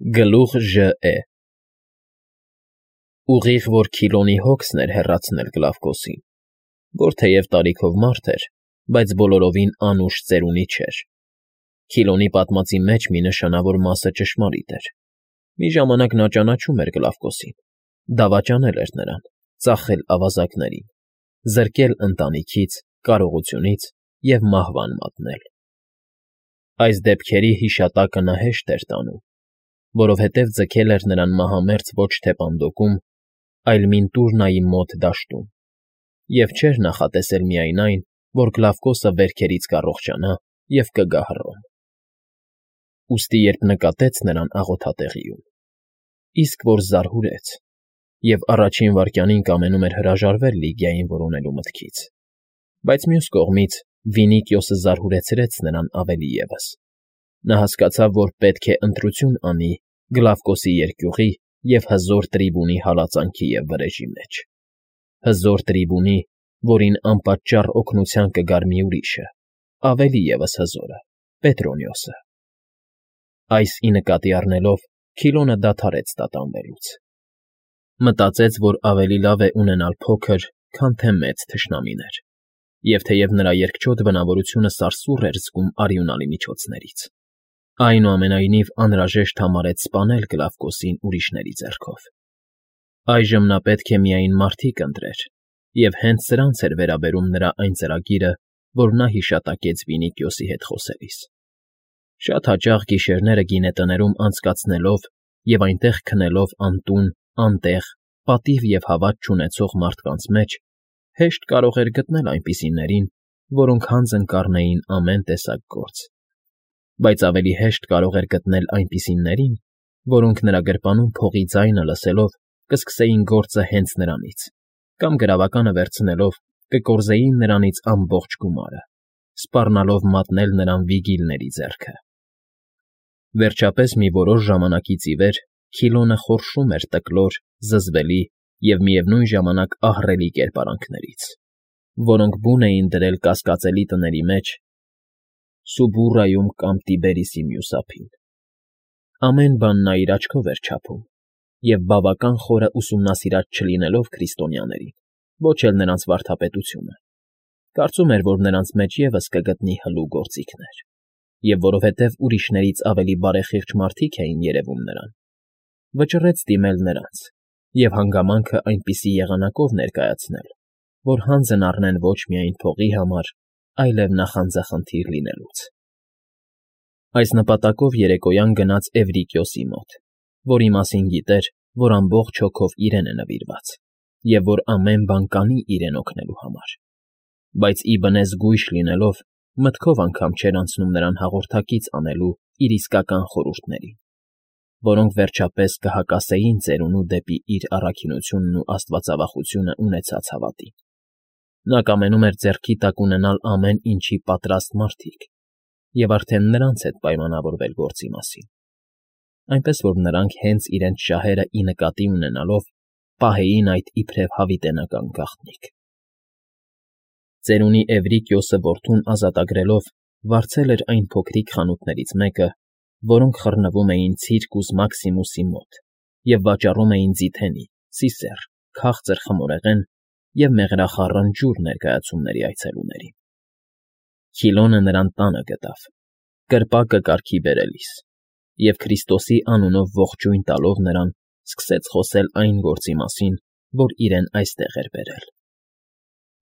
Գլուխ ԺԷ Ուղիղ որ Քիլոնի հոգսն էր հեռացնել Գլավկոսին, որ թեև տարիքով մարդ էր, բայց բոլորովին անուշ ծերունի չէր. Քիլոնի պատմածի մեջ մի նշանավոր մասը ճշմարիտ էր. մի ժամանակ նա ճանաչում էր Գլավկոսին, դավաճանել էր նրան, ծախել ավազակներին, զրկել ընտանիքից, կարողությունից և մահվան մատնել. այս դեպքերի հիշատակը նա հեշտ էր տանում, որովհետև ձգել էր նրան մահամերձ ոչ թե Պանդոկում, այլ Մինտուրնայի մոտ դաշտում, և չէր նախատեսել միայն այն, որ Գլավկոսը վերքերից կառողջանա և կգա Հռոմ. ուստի երբ նկատեց նրան աղոթատեղիում, իսկ որ զարհուրեց և առաջին վայրկյանին կամենում էր հրաժարվել Լիգիային որոնելու մտքից, բայց մյուս կողմից Վինիկիոսը զարհուրեցրեց նրան ավելի ևս. նա հասկացավ, որ պետք է ընտրություն անի Գլավկոսի երկյուղի և հզոր տրիբունի հալածանքի և վրեժի մեջ. հզոր տրիբունի, որին անպատճառ օգնության կգար մի ուրիշը, ավելի ևս հզորը՝ Պետրոնիոսը. այս ի նկատի առնելով Քիլոնը դադարեց տատանվելուց. մտածեց, որ ավելի լավ է ունենալ փոքր, քան թե մեծ թշնամիներ, և թեև նրա երկչոտ բնավորությունը սարսուռ էր զգում արյունալի միջոցներից, այնուամենայնիվ անհրաժեշտ համարեց սպանել Գլավկոսին ուրիշների ձեռքով. այժմ նա պետք է միայն մարդիկ ընտրեր, և հենց սրանց էր վերաբերում նրա այն ծրագիրը, որ նա հիշատակեց Վինիկիոսի հետ խոսելիս. շատ հաճախ գիշերները գինետներում անցկացնելով և այնտեղ քնելով անտուն, անտեղ, պատիվ և հավատ չունեցող մարդկանց մեջ հեշտ կարող էր գտնել այնպիսիներին, որոնք հանձն կառնեին ամեն տեսակ գործ, բայց ավելի հեշտ կարող էր գտնել այնպիսիներին, որոնք նրա գրպանում փողի ձայնը լսելով կսկսեին գործը հենց նրանից կամ գրավականը վերցնելով կկորզեին նրանից ամբողջ գումարը, սպառնալով մատնել նրան վիգիլների ձեռքը. Վերջապես մի որոշ ժամանակից ի վեր Քիլոնը խորշում էր տկլոր, զզվելի և միևնույն ժամանակ ահռելի կերպարանքներից, որոնք բուն էին դրել կասկածելի տների մեջ Սուբուրրայում կամ Տիբերիսի մյուս ափին. ամեն բան նա իր աչքով էր չափում և բավական խորը ուսումնասիրած չլինելով քրիստոնյաներին, ոչ էլ նրանց վարդապետությունը, կարծում էր, որ նրանց մեջ ևս կգտնի հլու գործիքներ, և որովհետև ուրիշներից ավելի բարեխիղճ մարդիկ էին երևում նրան, վճռեց դիմել նրանց և հանգամանքը այնպիսի եղանակով ներկայացնել, որ հանձն առնեն ոչ միայն փողի համար, այլև նախանձախնդիր լինելուց. այս նպատակով երեկոյան գնաց Էվրիկիոսի մոտ, որի մասին գիտեր, որ ամբողջ հոգով իրեն է նվիրված և որ ամեն բան կանի իրեն օգնելու համար, բայց իբնե զգույշ լինելով մտքով անգամ չէր անցնում նրան հաղորդակից անելու իր իսկական խորհուրդներին, որոնք վերջապես կհակասեին ծերունու դեպի իր առաքինությունն ու աստվածավախությունը ունեցած հավատին. նա կամենում էր ձեռքի տակ ունենալ ամեն ինչի պատրաստ մարդիկ և արդեն նրանց հետ պայմանավորվել գործի մասին, այնպես որ նրանք հենց իրենց շահերը ի նկատի ունենալով պահեին այդ իբրև հավիտենական գաղտնիք. ծերունի Էվրիկիոսը որդուն ազատագրելով վարձել էր այն փոքրիկ խանութներից մեկը, որոնք խռնվում էին Ցիրկուս Մաքսիմուսի մոտ և վաճառում էին ձիթենի, սիսեռ, քաղցր խմորեղեն և մեղրախառն ջուր ներկայացումների այցելուներին. Քիլոնը նրան տանը գտավ, կրպակը կարգի բերելիս, և Քրիստոսի անունով ողջույն տալով նրան սկսեց խոսել այն գործի մասին, որ իրեն այստեղ էր բերել.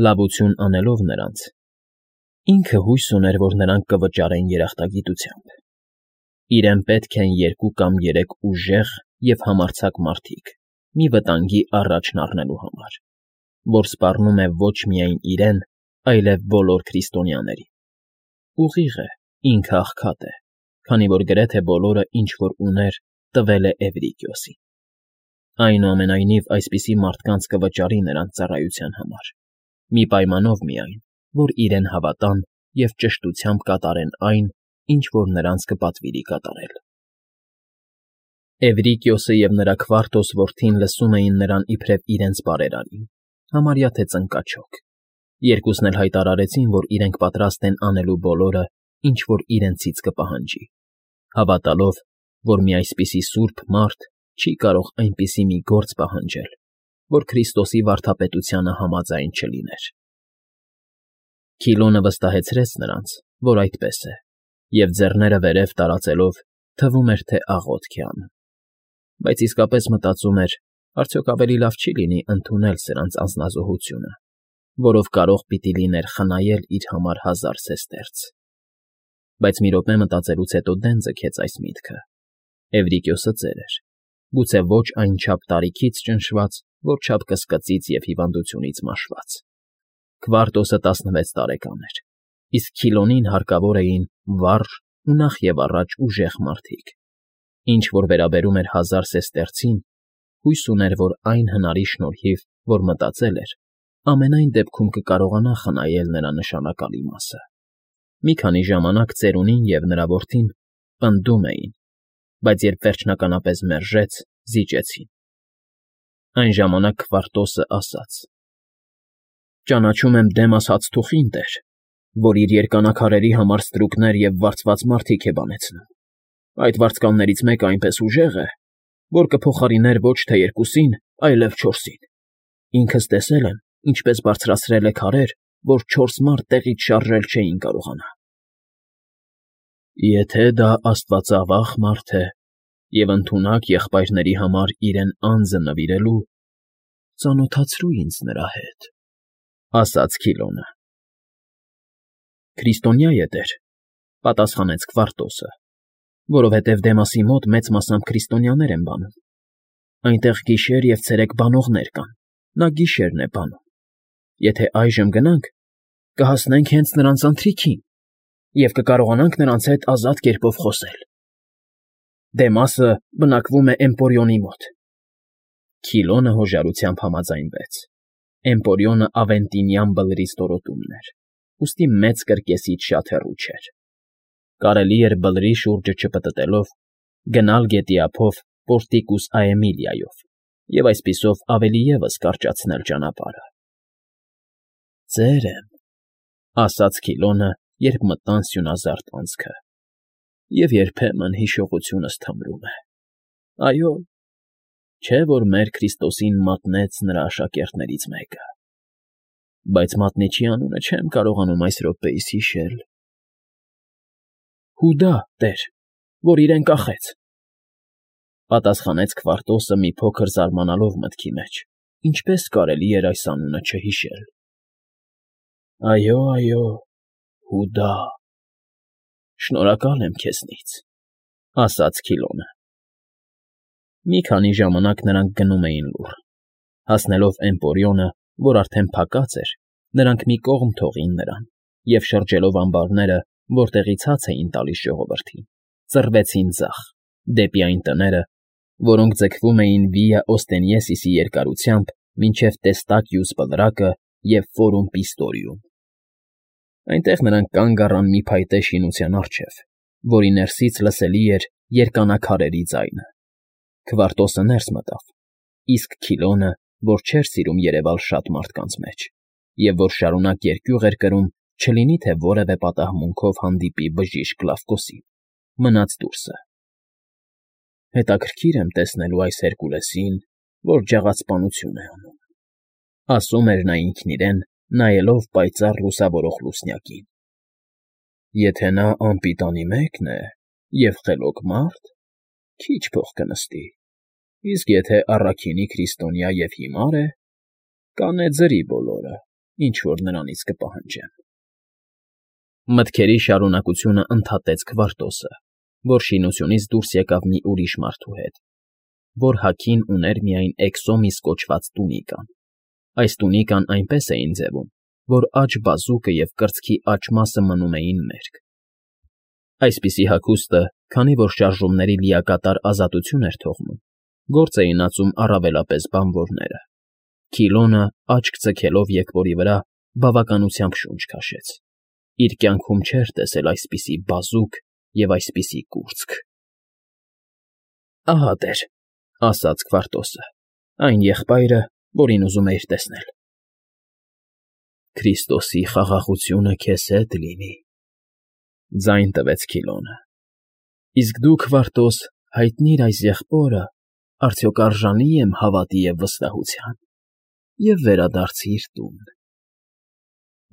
լավություն անելով նրանց, ինքը հույս ուներ, որ նրանք կվճարեն երախտագիտությամբ. իրեն պետք են 2 կամ 3 ուժեղ և համարձակ մարդիկ մի վտանգի առաջն առնելու համար, որ սպառնում է ոչ միայն իրեն, այլև բոլոր քրիստոնյաներին. ուղիղ է, ինքը աղքատ է, քանի որ գրեթե բոլորը, ինչ որ ուներ, տվել է Էվրիկիոսին. այնուամենայնիվ այսպիսի մարդկանց կվճարի նրանց ծառայության համար, մի պայմանով միայն, որ իրեն հավատան և ճշտությամբ կատարեն այն, ինչ որ նրանց կպատվիրի կատարել. Էվրիկիոսը և նրա Քվարտոս որդին լսում էին նրան իբրև իրենց բարերարին, համարյա թե ծնկաչոք, երկուսն էլ հայտարարեցին, որ իրենք պատրաստ են անելու բոլորը, ինչ որ իրենցից կպահանջի, հավատալով, որ մի այսպիսի սուրբ մարդ չի կարող այնպիսի մի գործ պահանջել, որ Քրիստոսի վարդապետությանը համաձայն չլիներ։ Քիլոնը վստահեցրեց նրանց, որ այդպես է, և ձեռները վերև տարածելով թվում էր, թե աղոթք է անում, բայց իսկապես մտածում էր, արդյոք ավելի լավ չի լինի ընդունել սրանց անձնազոհությունը, որով կարող պիտի լիներ խնայել իր համար 1000 սեստերց։ Բայց մի րոպե մտածելուց հետո դեն ձգեց այս միտքը. Էվրիկիոսը ծեր էր, գուցե ոչ այնչափ տարիքից ճնշված, որչափ կսկծից և հիվանդությունից մաշված։ Քվարտոսը 16 տարեկան էր, իսկ Քիլոնին հարկավոր էին վառ ու նախ և առաջ ուժեղ մարդիկ։ Ինչ որ վերաբերում էր 1000 սեստերցին, հույս ուներ, որ այն հնարի շնորհիվ, որ մտածել էր, ամենայն դեպքում կկարողանա խնայել նրա նշանակալի մասը։ Մի քանի ժամանակ ծերունին և նրա որդին պնդում էին, բայց երբ վերջնականապես մերժեց, զիջեցին։ Այն ժամանակ Քվարտոսը ասաց. «Ճանաչում եմ Դեմաս հացթուխին, տեր, որ իր երկանաքարերի համար ստրուկներ և վարձված մարդիկ է բանեցնում։ Այդ վարձկաններից մեկը այնպես ուժեղ է, որ կփոխարիներ ոչ թե 2-ին, այլև 4-ին։ Ինքս տեսել եմ, ինչպես բարձրացրել է քարեր, որ 4 մարդ տեղից շարժել չէին կարողանա»։ Եթե դա աստվածավախ մարդ է և ընդունակ եղբայրների համար իրեն անձը նվիրելու, ծանոթացրու ինձ նրա հետ, ասաց Քիլոնը։ Քրիստոնյա է, տեր, պատասխանեց Քվարտոսը, որովհետև Դեմասի մոտ մեծ մասամբ քրիստոնյաներ են բանում։ Այնտեղ գիշեր և ցերեկ բանողներ կան, նա գիշերն է բանում։ Եթե այժմ գնանք, կհասնենք հենց նրանց ընթրիքին և կկարողանանք նրանց հետ ազատ կերպով խոսել։ Դեմասը բնակվում է Էմպորիոնի մոտ։ Քիլոնը հոժարությամբ համաձայնվեց։ Էմպորիոնը Ավենտինյան բլրի ստորոտումն էր, ուստի մեծ կրկեսից շատ հեռու չէր։ Կարելի էր բլրի շուրջը չպտտելով գնալ գետի ափով Պորտիկուս Աեմիլիայով և այսպիսով ավելի ևս կարճացնել ճանապարհը։ «Ծեր եմ», ասաց Քիլոնը, երբ մտան սյունազարդ անցքը, «և երբեմն հիշողությունս թմրում է։ Այո, չէ՞ որ մեր Քրիստոսին մատնեց նրա աշակերտներից մեկը, բայց մատնիչի անունը չեմ կարողանում այս րոպեիս հիշել»։ «Հուդա, տեր, որ իրեն կախեց», պատասխանեց Քվարտոսը մի փոքր զարմանալով մտքի մեջ, ինչպես կարելի էր այս անունը չհիշել։ Այո, Հուդա, շնորհակալ եմ քեզնից, ասաց Քիլոնը։ Մի քանի ժամանակ նրանք գնում էին լուռ։ Հասնելով Էմպորիոնը, որ արդեն փակած էր, նրանք մի կողմ թողին նրան և շրջելով ամբարները, որտեղից հաց էին տալիս ժողովրդին, ծռվեցին ձախ, դեպի այն տները, որոնք ձգվում էին Վիա Օստենիեսիսի երկարությամբ մինչև Տեստակիուս բլրակը և Ֆորում Պիստորիում։ Այնտեղ նրանք կանգ առան մի փայտե շինության առջև, որի ներսից լսելի էր երկանաքարերի ձայնը։ Քվարտոսը ներս մտավ, իսկ Քիլոնը, որ չէր սիրում երևալ շատ մարդկանց մեջ, և որ շարունակ երկյուղ էր կրում, չլինի թե որևէ պատահմունքով հանդիպի բժիշկ Կլավկոսին, մնաց դուրսը։ «Հետաքրքիր եմ տեսնելու այս Հերկուլեսին, որ ջաղացպանություն է անում», ասում էր նա ինքն իրեն, նայելով պայծառ լուսավորող լուսնյակին։ «Եթե նա անպիտանի մեկն է և խելոք մարդ, քիչ փող կնստի, իսկ եթե առաքինի քրիստոնյա և հիմար է, կանեծրի բոլորը, ինչ որ նրանից կպահանջեմ»։ Մտքերի շարունակությունը ընդհատեց Քվարտոսը, որ շինությունից դուրս եկավ մի ուրիշ մարդու հետ, որ հագին ուներ միայն էքսոմիս կոչված տունիկան։ Այս տունիկան այնպես էին ձևում, որ աջ բազուկը և կրծքի աջ մասը մնում էին մերկ։ Այսպիսի հագուստը, քանի որ շարժումների լիակատար ազատություն էր թողնում, գործ էին ածում առավելապես բանվորները։ Քիլոնը, աչք ձգելով եղբորի վրա, բավականությամբ շունչ քաշեց։ Իր կյանքում չէր տեսել այսպիսի բազուկ և այսպիսի կուրծք։ «Ահա, տեր», ասաց Քվարտոսը, «այն եղբայրը, որին ուզում էիր տեսնել»։ «Քրիստոսի խաղաղությունը քեզ հետ լինի», ձայն տվեց Քիլոնը։ «Իսկ դու, Քվարտոս, հայտնիր այս եղբորը, արդյոք արժանի եմ հավատի և վստահության, և վերադարձիր տուն,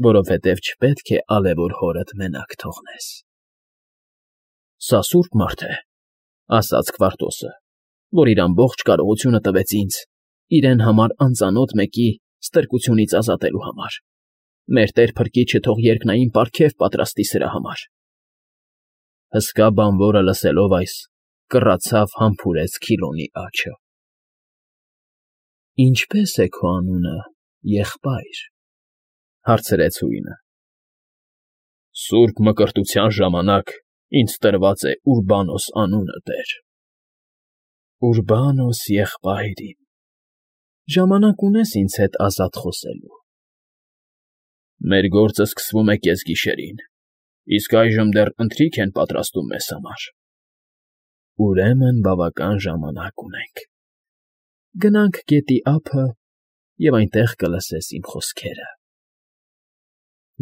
որովհետև չպետք է ալևոր հորդ մենակ թողնես։ ֊ Սա սուրբ մարդ է,֊ ասաց Քվարտոսը, որ իր ամբողջ կարողությունը տվեց ինձ, իրեն համար անծանոթ մեկի ստրկությունից ազատելու համար։ Մեր տեր Փրկիչը թող երկնային պարգև պատրաստի սրա համար։ Հսկա բանվորը լսելով այս, կռացավ համբուրեց Քիլոնի աջը։ ֊ Ինչպե՞ս է քո անունը, եղբայր,֊ հարցրեց հույնը։ ֊ Սուրբ Մկրտության ժամանակ ինձ տրված է Ուրբանոս անունը, տեր։ ֊ Ուրբանոս եղբայր իմ, ժամանակ ունես ինձ հետ ազատ խոսելու։ ֊ Մեր գործը սկսվում է կեսգիշերին, իսկ այժմ դեռ ընթրիք են պատրաստում մեզ համար։ ֊ Ուրեմն բավական ժամանակ ունենք։ Գնանք գետի ափը, և այնտեղ կլսես իմ խոսքերը։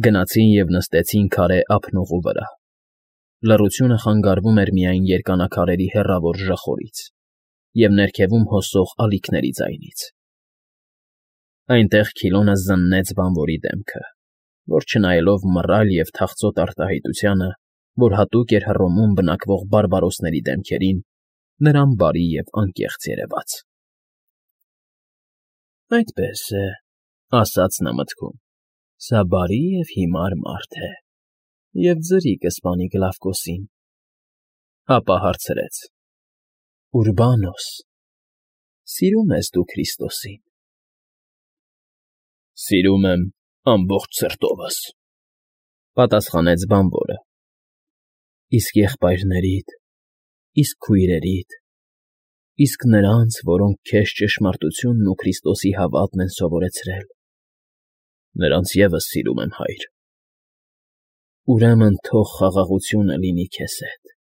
Գնացին և նստեցին քարե ափնողու վրա։ Լռությունը խանգարվում էր միայն երկանաքարերի հեռավոր ժխորից և ներքևում հոսող ալիքների ձայնից։ Այնտեղ Քիլոնը զննեց բանվորի դեմքը, որ չնայելով մռայլ և թախծոտ արտահայտությանը, որ հատուկ էր Հռոմում բնակվող բարբարոսների դեմքերին, նրան բարի և անկեղծ երևաց։ «Այդպես է,֊ ասաց նա մտքում,֊ սա բարի և հիմար մարդ է և ձրի կսպանի Գլավկոսին»։ Ապա հարցրեց. «Ուրբանոս, սիրո՞ւմ ես դու Քրիստոսին»։ ֊ Սիրում եմ ամբողջ սրտովս,֊ պատասխանեց բանվորը։ ֊ Իսկ եղբայրներիդ, իսկ քույրերիդ, իսկ նրանց, որոնք քեզ ճշմարտությունն ու Քրիստոսի հավատն են սովորեցրել։ ֊ Նրանց ևս սիրում եմ, հայր։ ֊ Ուրեմն թող խաղաղությունը լինի քեզ հետ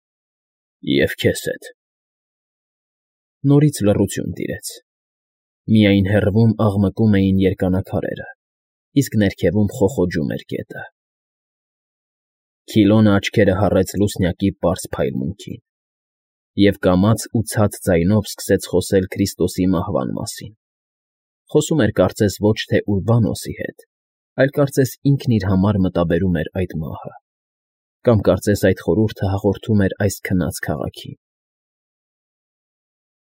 և քեզ հետ։ Նորից լռություն տիրեց։ Միայն հեռվում աղմկում էին երկանաքարերը, իսկ ներքևում խոխոջում էր գետը։ Քիլոնը աչքերը հառեց լուսնյակի պարզ փայլմունքին և կամաց ու ցած ձայնով սկսեց խոսել Քրիստոսի մահվան մասին։ Խոսում էր կարծես ոչ թե Ուրբանոսի հետ, այլ կարծես ինքն իր համար մտաբերում էր այդ մահը, կամ կարծես այդ խորհուրդը հաղորդում էր այս քնած քաղաքին։